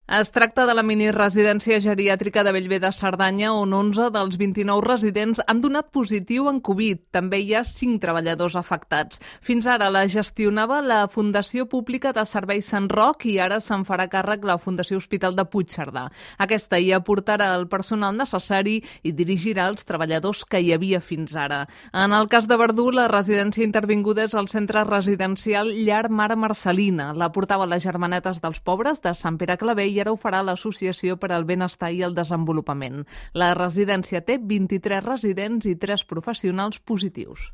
Es tracta de la miniresidència geriàtrica de Bellver de Cerdanya, on 11 dels 29 residents han donat positiu en Covid. També hi ha 5 treballadors afectats. Fins ara la gestionava la Fundació Pública de Serveis Sant Roc i ara se'n farà càrrec la Fundació Hospital de Puigcerdà. Aquesta hi aportarà el personal necessari i dirigirà els treballadors que hi havia fins ara. En el cas de Verdú, la residència intervinguda és el centre residencial Llar Mare Marcelina. La portava les Germanetes dels Pobres de Sant Pere Claver i ara ho farà l'Associació per al Benestar i el Desenvolupament. La residència té 23 residents i 3 professionals positius.